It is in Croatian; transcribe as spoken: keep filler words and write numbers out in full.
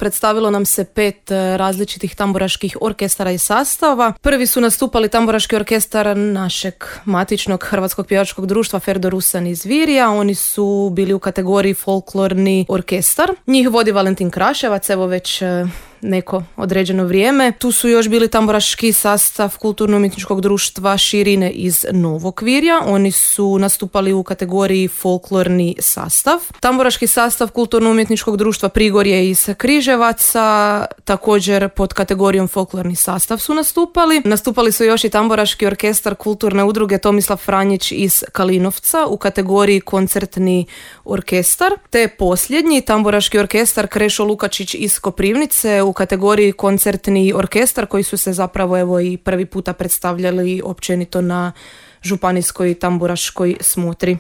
predstavilo nam se pet različitih tamburaških orkestara i sastava. Prvi su nastupali tamburaški orkestar našeg matičnog Hrvatskog pjevačkog društva Ferdo Rusan iz Virja. Oni su bili u kategoriji folklorni orkestar. Njih vodi Valentin Kraševac, evo već neko određeno vrijeme. Tu su još bili tamburaški sastav Kulturno-umjetničkog društva Širine iz Novog Virja. Oni su nastupali u kategoriji folklorni sastav. Tamburaški sastav Kulturno-umjetničkog društva Prigorje iz Križevaca, također pod kategorijom folklorni sastav su nastupali. Nastupali su još i tamburaški orkestar Kulturne udruge Tomislav Franjić iz Kalinovca u kategoriji koncertni orkestar. Te posljednji tamburaški orkestar Krešo Lukačić iz Koprivnice u kategoriji koncertni orkestar, koji su se zapravo evo i prvi puta predstavljali općenito na županijskoj tamburaškoj smotri.